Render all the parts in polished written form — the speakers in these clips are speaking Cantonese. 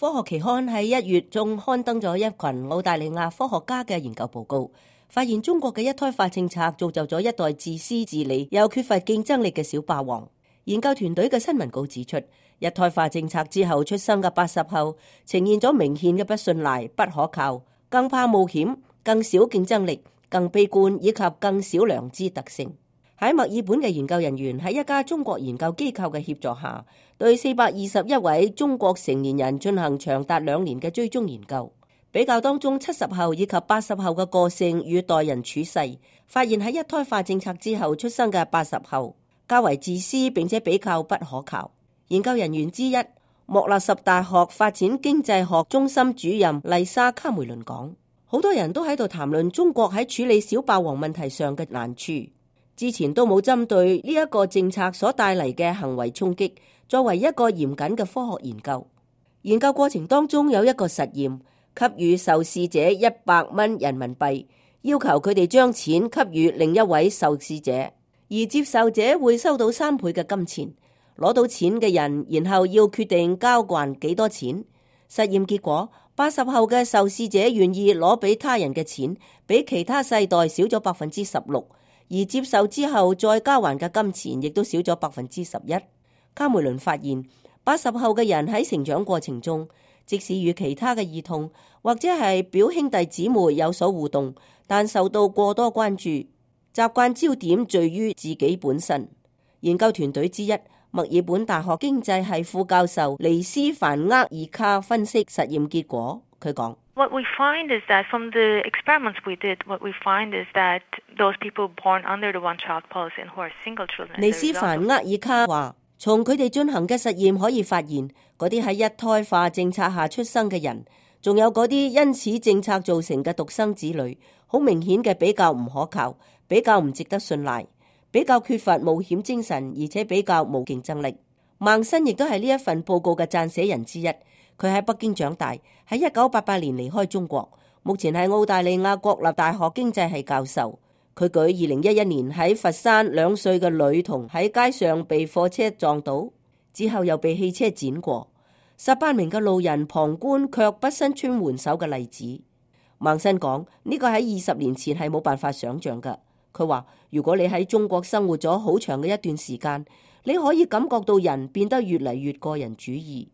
科學期刊喺1月中刊登咗一群澳大利亞科學家嘅研究報告，發現中國嘅一胎化政策造就咗一代自私自利又缺乏競爭力嘅小霸王。研究團隊嘅新聞稿指出，一胎化政策之後出生嘅80後呈現咗明顯嘅不信賴、不可靠、更怕冒險、更少競爭力、更悲觀以及更少良知特性。喺墨爾本嘅研究人員喺一家中國研究機構嘅協助下，對421位中國成年人進行長達2年嘅追蹤研究，比較當中70後以及80後嘅個性與待人處世，發現喺一胎化政策之後出生嘅80後較為自私並且比較不可靠。研究人員之一，莫納什大學發展經濟學中心主任麗莎卡梅倫講，好多人都喺度談論中國喺處理小霸王問題上嘅難處，之前都冇針對呢一個政策所帶嚟嘅行為衝擊作為一個嚴謹嘅科學研究。研究過程當中有一個實驗，給予受試者100蚊人民幣，要求佢哋將錢給予另一位受試者，而接受者會收到3倍嘅金錢。攞到錢嘅人然後要決定交還幾多錢。實驗結果，80後嘅受試者願意攞俾他人嘅錢比其他世代少咗16%，而接受之後再交還嘅金錢亦都少咗11%。卡梅倫發現80後嘅人喺成長過程中，即使與其他嘅兒童或者係表兄弟姊妹有所互動，但受到過多關注，習慣焦點聚於自己本身。研究團隊之一，墨爾本大學經濟系副教授尼斯凡厄爾卡分析實驗結果，佢講：What we find is that from the experiments we did, what we find is that those people born under the one-child policy and who are single children。尼斯凡厄爾卡話，從佢哋進行嘅實驗可以發現，嗰啲喺一胎化政策下出生嘅人，仲有嗰啲因此政策造成嘅獨生子女，好明顯嘅比較唔可靠，比較唔值得信賴，比較缺乏冒險精神，而且比較冇競爭力。孟新亦都係呢一份報告嘅撰寫人之一。佢喺北京長大，喺1988年離開中國，目前係澳大利亞國立大學經濟系教授。佢舉2011年喺佛山2歲嘅女童喺街上被貨車撞倒，之後又被汽車輾過，18名嘅路人旁觀卻不伸出援手嘅例子。孟新講，呢個喺20年前係冇辦法想象㗎。佢話，如果你喺中國生活咗好長嘅一段時間，你可以感覺到人變得越嚟越個人主義。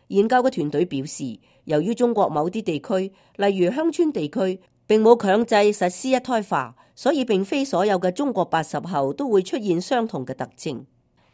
研究嘅團隊表示，由於中國某啲地區，例如鄉村地區，並冇強制實施一胎化，所以並非所有嘅中國80後都會出現相同嘅特徵。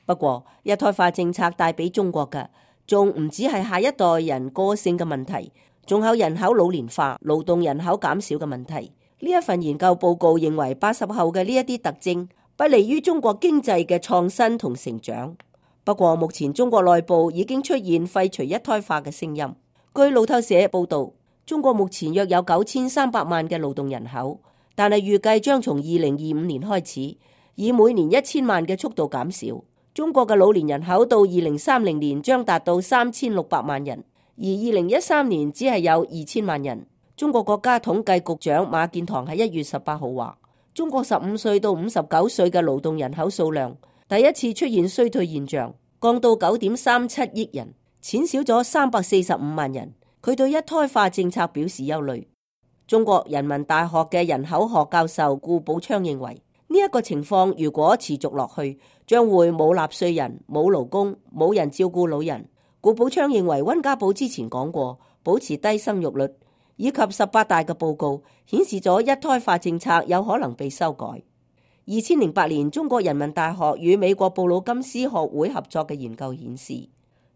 不過，一胎化政策帶俾中國嘅，仲唔止係下一代人個性嘅問題，仲有人口老年化、勞動人口減少嘅問題。呢一份研究報告認為，80後嘅呢一啲特徵不利於中國經濟嘅創新同成長。不過目前中國內部已經出現廢除一胎化嘅聲音。據路透社報道，中國目前約有9300萬嘅勞動人口，但係預計將從2025年開始，以每年1000萬嘅速度減少。中國嘅老年人口到2030年將達到3600萬人，而2013年只係有2000萬人。中國國家統計局長馬建堂喺1月18號話，中國15歲到59歲嘅勞動人口數量第一次出現衰退現象，降到9.37億人，減少咗345萬人。佢對一胎化政策表示憂慮。中國人民大學嘅人口學教授顧寶昌認為，呢一個情況如果持續落去，將會冇納稅人、冇勞工、冇人照顧老人。顧寶昌認為，溫家寶之前講過，保持低生育率以及18大嘅報告顯示咗一胎化政策有可能被修改。2008年中國人民大學與美國布魯金斯學會合作嘅研究顯示，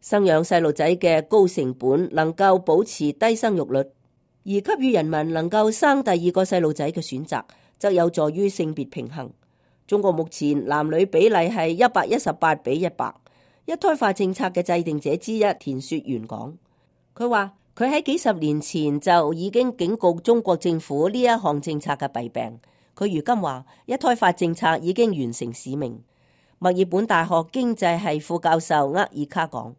生養細路仔嘅高成本能夠保持低生育率，而給予人民能夠生第二個細路仔嘅選擇，則有助於性別平衡。中國目前男女比例係118:100。一胎化政策嘅制定者之一田雪原講，佢話佢喺幾十年前就已經警告中國政府呢一項政策嘅弊病。佢如今話一胎化政策已經完成使命。墨爾本大學經濟系副教授厄爾卡講，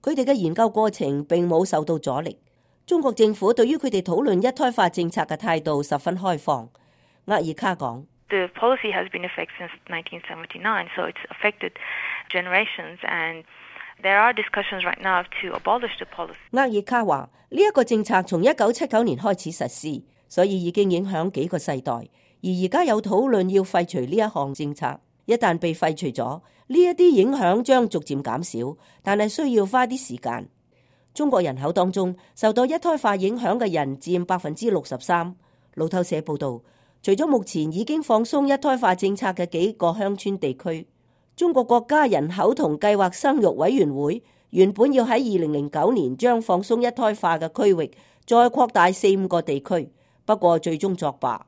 佢哋嘅研究過程並冇受到阻力。中國政府對於佢哋討論一胎化政策嘅態度十分開放。厄爾卡講，The policy has been in effect since 1979, so it's affected generations and There are discussions right now to abolish the policy. 厄爾卡話：呢一個政策從1979年開始實施，所以已經影響幾個世代。而而家有討論要廢除呢一項政策。一旦被廢除咗，呢一啲影響將逐漸減少，但係需要花啲時間。中國人口當中受到一胎化影響嘅人佔63%。路透社報導，除咗目前已經放鬆一胎化政策嘅幾個鄉村地區，中國國家人口同計劃生育委員會原本要喺2009年將放鬆一胎化嘅區域再擴大4-5個地區，不過最終作罷。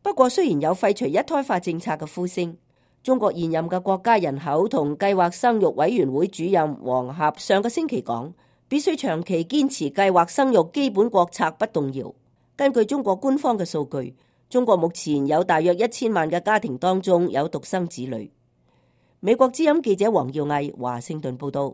不過雖然有廢除一胎化政策嘅呼聲，中國現任嘅國家人口同計劃生育委員會主任王俠上個星期講，必須長期堅持計劃生育基本國策不動搖。根據中國官方嘅數據，中國目前有大約1000萬嘅家庭當中有獨生子女。美國之音記者黃耀毅華盛頓報道。